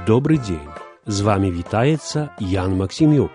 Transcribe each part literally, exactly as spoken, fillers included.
Добрый дзень. З вами вітаецца Ян Максімюк.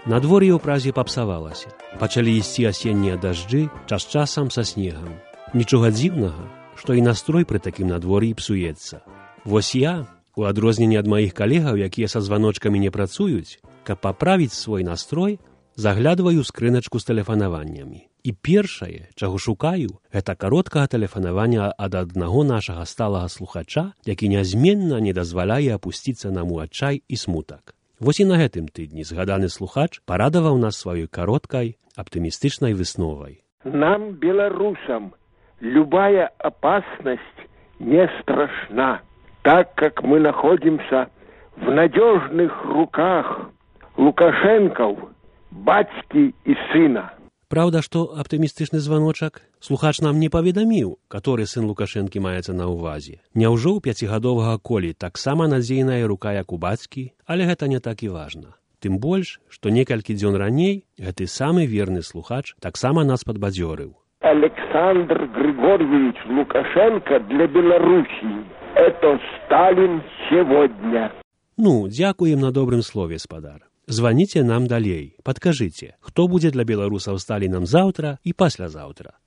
Надвор'е ў Празе папсавалася. Пачалі ісці асеннія дажджы, час часам са снегам. Нічога дзіўнага, што і настрой пры такім надвор'і псуецца. Вось я, у адрозненне ад маіх калегаў, якія са званочкамі не працуюць, каб паправіць свой настрой, заглядваю ў скрыначку з тэлефанаваннямі. І першае, чаго шукаю, гэта кароткага тэлефанавання ад аднаго нашага сталага слухача, які нязменна не дазваляе апусціцца нам у адчай і смутак. Вось і на гэтым тыдні згаданы слухач парадаваў нас сваёй кароткай, аптымістычнай высновай. Нам, белорусам, любая опасность не страшна, так как мы находимся в надежных руках Лукашенков, бацькі і сына. Праўда, што аптымістычны званочак слухач нам не паведаміў, каторы сын Лукашэнкі маецца на ўвазе. Няўжо ў пяцігадовага Колі таксама надзейная рука, як у бацькі, але гэта не так і важна. Тым больш, што некалькі дзён раней гэты самы верны слухач таксама нас падбадзёрыў. Александр Григорьевич Лукашенко для Белоруссии – это Сталин сегодня. Ну, дзякуем на добрым слове, спадар. Званіце нам далей, падкажыце, хто будзе для беларусаў Сталінам заўтра і паслязаўтра.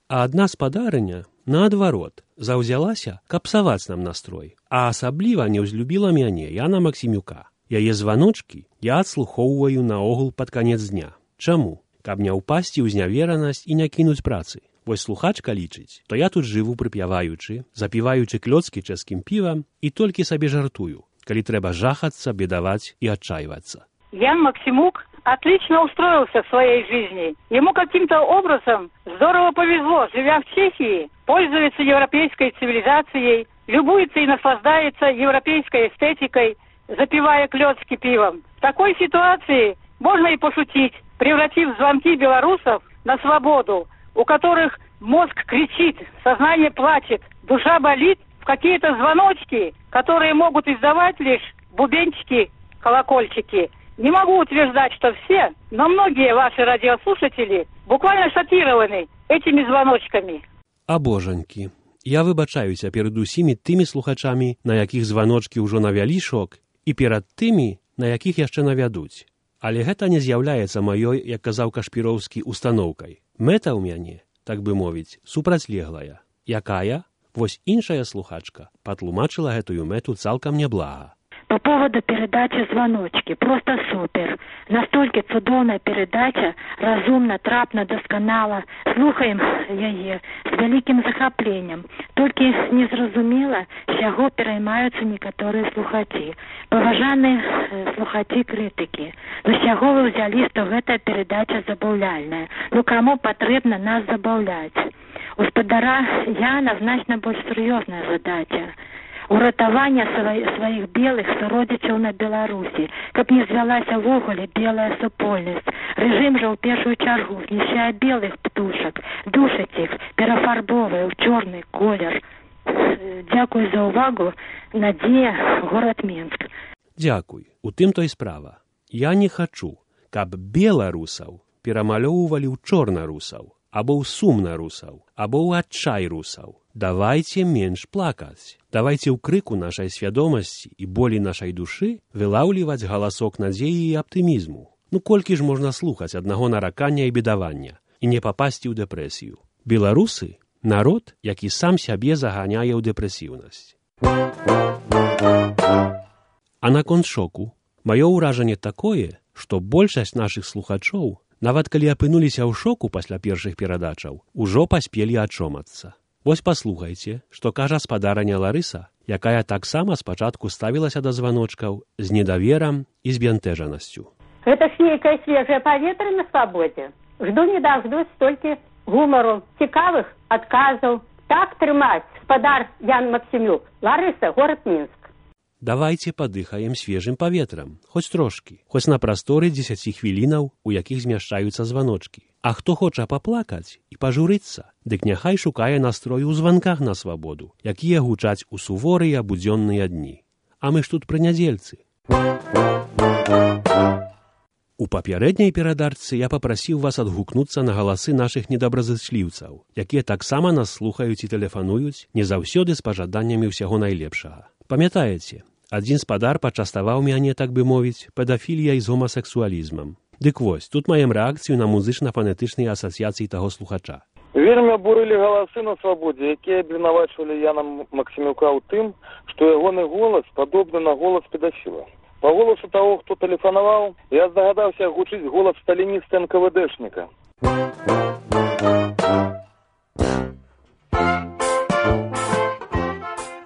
А адна спадарыня, наадварот, заўзялася, каб псаваць нам настрой, а асабліва не ўзлюбіла мяне, Яна Максімюка. Яе званочкі я адслухоўваю наогул пад канец дня. Чаму? Каб не ўпасці ў зняверанасць і не кінуць працы. Вось слухачка лічыць, то я тут жыву прыпяваючы, запіваючы клёцкі чэшскім півам і толькі сабе жартую, коли треба жахаться, бедовать и отчаиваться. Ян Максимук отлично устроился в своей жизни. Ему каким-то образом здорово повезло, живя в Чехии, пользуется европейской цивилизацией, любуется и наслаждается европейской эстетикой, запивая клёцки пивом. В такой ситуации можно и пошутить, превратив звонки белорусов на свободу, у которых мозг кричит, сознание плачет, душа болит, какие-то звоночки, которые могут издавать лишь бубенчики, колокольчики. Не могу утверждать, что все, но многие ваши радиослушатели буквально шокированы этими звоночками. А божанькі, я выбачаюся перад усімі тымі слухачамі, на якіх званочкі ўжо навялі шок, і перад тымі, на якіх яшчэ навядуць. Але гэта не з'яўляецца маёй, як казаў Кашпіроўскі, устаноўкай. Мэта ў мяне, так бы мовіць, супрацьлеглая. Якая? Вось іншая слухачка патлумачыла гэтую мэту цалкам няблага. По поводу передачи «Звоночки». Просто супер. Настолько цудоўная передача, разумна, трапна, досканала. Слухаем яе з вялікім захапленнем. Толькі незразумела, з чаго пераймаюцца некаторыя слухачі. Паважаныя слухачі-крытыкі. Ну з чаго вы ўзялі, што гэтая передача забаўляльная? Ну каму патрэбна нас забаўляць? У спадара Яна значна больш сур'ёзная задача. Уратавання сваіх белых суродзічаў на Беларусі, каб не звялася ввогуле белая супольнасць. Рэжым жа ў першую чаргу знішчае белых птушак, душыць іх, перафарбоўвае ў чорны колер. Дзякуй за ўвагу. Надзея, горад Мінск. Дзякуй. У тым то і справа. Я не хачу, каб беларусаў перамалёўвалі ў чорнарусаў, або ў сумнарусаў, або ў адчай русаў. Давайце менш плакаць. Давайце ў крыку нашай свядомасці і болі нашай душы вылаўліваць галасок надзеі і аптымізму. Ну колькі ж можна слухаць аднаго наракання і бедавання і не папасці ў дэпрэсію? Беларусы – народ, які сам сябе заганяе ў дэпрэсіўнасць. А наконт шоку, маё ўражанне такое, што большасць нашых слухачоў, нават калі апынуліся ў шоку пасля першых перадачаў, ужо паспелі ачомацца. Вось паслухайце, што кажа спадарыня Ларыса, якая таксама спачатку ставілася да званочкаў з недаверам і збянтэжанасцю. Это ж нейкае свежае паветра на свабодзе. Жду не дождусь столькі гумару, цікавых адказаў. Так трымаць, спадар Ян Максімюк. Ларыса, горад Мінск. Давайце падыхаем свежым паветрам, хоць трошкі, хоць на прасторы дзесяці хвілінаў, у якіх змяшчаюцца званочкі. А хто хоча паплакаць і пажурыцца, дык няхай шукае настрою ў званках на свабоду, якія гучаць у суворыя будзённыя дні. А мы ж тут пры нядзельцы. У папярэдняй перадачцы я папрасіў вас адгукнуцца на галасы нашых недобразычліўцаў, якія таксама нас слухаюць і тэлефануюць, не заўсёды з пажаданнямі ўсяго найлепшага. Памятаеце, адзін спадар пачаставаў мяне, так бы мовіць, педафіліяй з гомасексуалізмам. Дык вось, тут маем рэакцыю на музычна-фанетычныя асацыяцыі таго слухача. Вельмі абурылі галасы на свабодзе, якія абвінавачвалі Яна Максімюка ў тым, што ягоны голас падобны на голас педафіла. По голосу того, кто телефоновал, я здогадался гучить голос сталиниста эн ка вэ дэшника.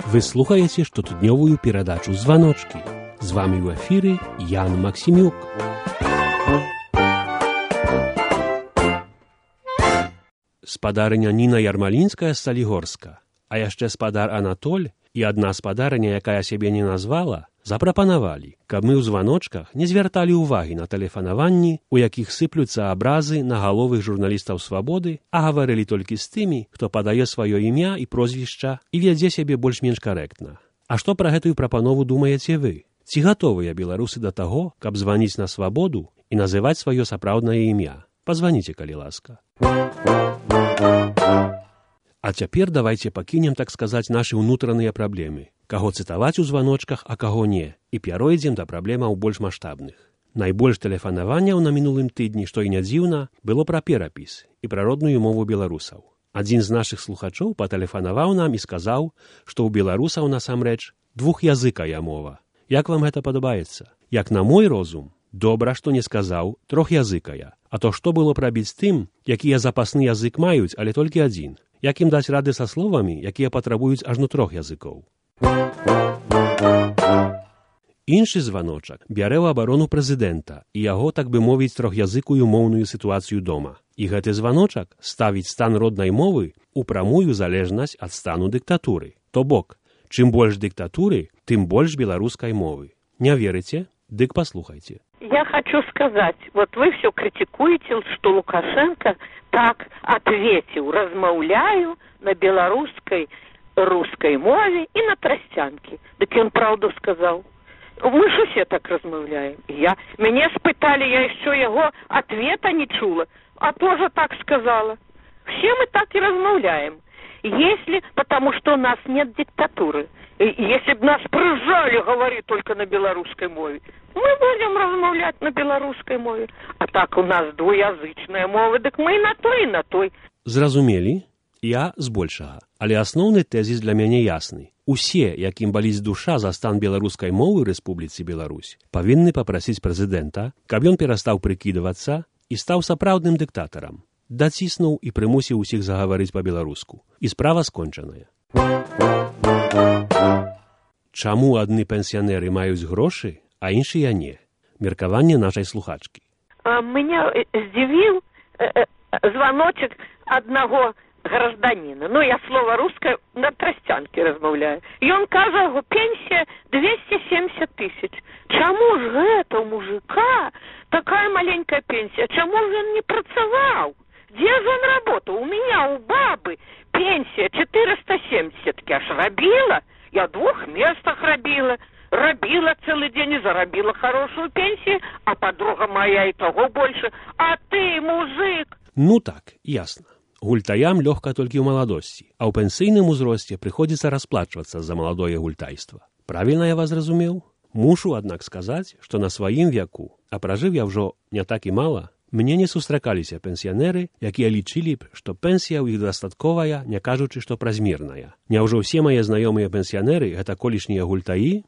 Вы слухаете штотыднёвую перадачу «Званочки». З вами ў эфіры Ян Максімюк. Спадарыня Ніна Ярмалінская з Салігорска, а яшчэ спадар Анатоль і адна спадарыня, якая сябе не назвала, запрапанавалі, каб мы ў званочках не звярталі ўвагі на тэлефанаванні, у якіх сыплюцца абразы на галовых журналістаў «Свабоды», а гаварылі толькі з тымі, хто падае сваё імя і прозвішча і вядзе сябе больш-менш карэктна. А што пра гэтую прапанову думаеце вы? Ці гатовыя беларусы да таго, каб званіць на «Свабоду» і называць сваё сапраўднае імя? Пазваніце, калі ласка. А цяпер давайце пакінем, так сказаць, нашы ўнутраныя праблемы. Каго цытаваць у званочках, а каго не. І пяройдзем да праблемаў больш маштабных. Найбольш тэлефанаванняў на мінулым тыдні, што і не дзіўна, было пра перапіс і пра родную мову беларусаў. Адзін з нашых слухачоў патэлефанаваў нам і сказаў, што ў беларусаў насамрэч двухязыкая мова. Як вам гэта падабаецца? Як на мой розум, добра, што не сказаў трохязыкая. А то што было б рабіць з тым, якія запасны язык маюць, але толькі адзін? Як ім даць рады са словамі, якія патрабуюць ажно трох языкоў? Іншы званочак бярэ ў абарону прэзідэнта і яго, так бы мовіць, трохязыкую моўную сітуацыю дома. І гэты званочак ставіць стан роднай мовы ў прамую залежнасць ад стану дыктатуры. То бок, чым больш дыктатуры, тым больш беларускай мовы. Не верыце? Дык паслухайце. Я хочу сказать, вот вы все критикуете, что Лукашенко так ответил, размаўляю на белорусской, русской мове и на тростянке. Так он правду сказал. Мы же все так размаўляем. Я, меня спытали, я еще его ответа не чула, а тоже так сказала. Все мы так и размаўляем. Если, потому что у нас нет диктатуры. Если бы нас прижали говорить только на белорусской мове, мы будем размаўлять на белорусской мове. А так у нас двуязычная мова, так мы и на той, и на той. Зразумелі? Я збольшага. Але асноўны тэзіс для мяне ясны. Усе, якім баліць душа за стан беларускай мовы ў Рэспубліцы Беларусь, павінны папрасіць прэзідэнта, каб ён перастаў прыкідвацца і стаў сапраўдным дыктатарам. Даціснуў і прымусіў усіх загаварыць па-беларуску. І справа скончаная. Чаму адны пенсіянеры маюць грошы, а іншыя не? Меркаванне нашай слухачкі. А, меня здзівіў э, э, звоночек одного гражданина. Ну, я слово русское на тростянке размаўляю. И он кажа, пенсия двести семьдесят тысяч. Чаму ж гэта у мужика такая маленькая пенсия? Чаму ж он не працаваў? Где же он работал? У меня, у бабы, пенсия четыреста семьдесят. Я ж рабила. Я в двух местах рабила. Рабила целый день и заробила хорошую пенсию, а подруга моя и того больше. А ты, мужик... Ну так, ясно. Гультаям лёгка толькі ў маладосці, а ў пенсійным узросце прыходзіцца расплачвацца за маладое гультайства. Правільна я вас зразумеў? Мушу, аднак, сказаць, што на сваім веку, а пражыў я ўжо не так і мала, мне не сустракаліся пенсіянеры, якія лічылі б, што пенсія ў іх дастатковая, не кажучы, што празмерная. Няўжо ўсе мае знаёмыя пенсіянеры гэта колішнія гультаі?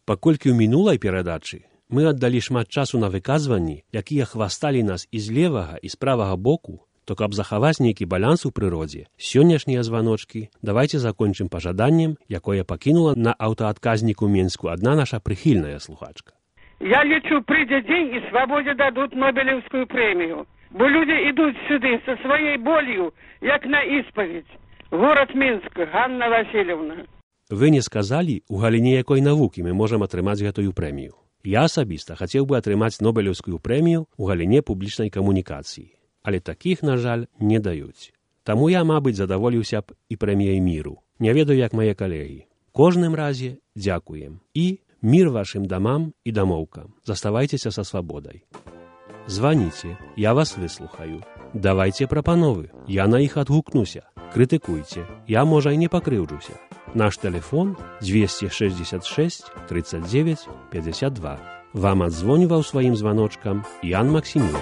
Паколькі ў мінулай перадачы мы аддалі шмат часу на выказванні, якія хвасталі нас і з левага, і з правага боку, то каб захаваць нейкі баланс у прыродзе, сённяшнія званочкі давайце закончым пажаданнем, якое пакінула на аўтаадказніку Менску адна наша прыхільная слухачка. Я лечу, придя день, и свободе дадут Нобелевскую премию. Бо люди идут сюда со своей болью, як на исповедь. Город Минск, Ганна Васильевна. Вы не сказалі, у галіне якой навукі мы можам атрымаць гэтую прэмію. Я асабіста хацеў бы атрымаць Нобелевскую прэмію ў галіне публічнай камунікацыі. Але такіх, на жаль, не даюць. Таму я, мабыць, задаволіўся б і прэміяй міру. Не ведаю, як мае калегі. Кожным разе дзякуем. І Мир вашим домам и домовкам. Заставайтеся со свободой. Звоните, я вас выслухаю. Давайте прапановы, я на іх адгукнуся. Крытыкуйце, я, можа, і не пакрыўджуся. Наш телефон двести шестьдесят шесть тридцать девять пятьдесят два. Вам адзвоніваў сваім званочкам Ян Максімюк.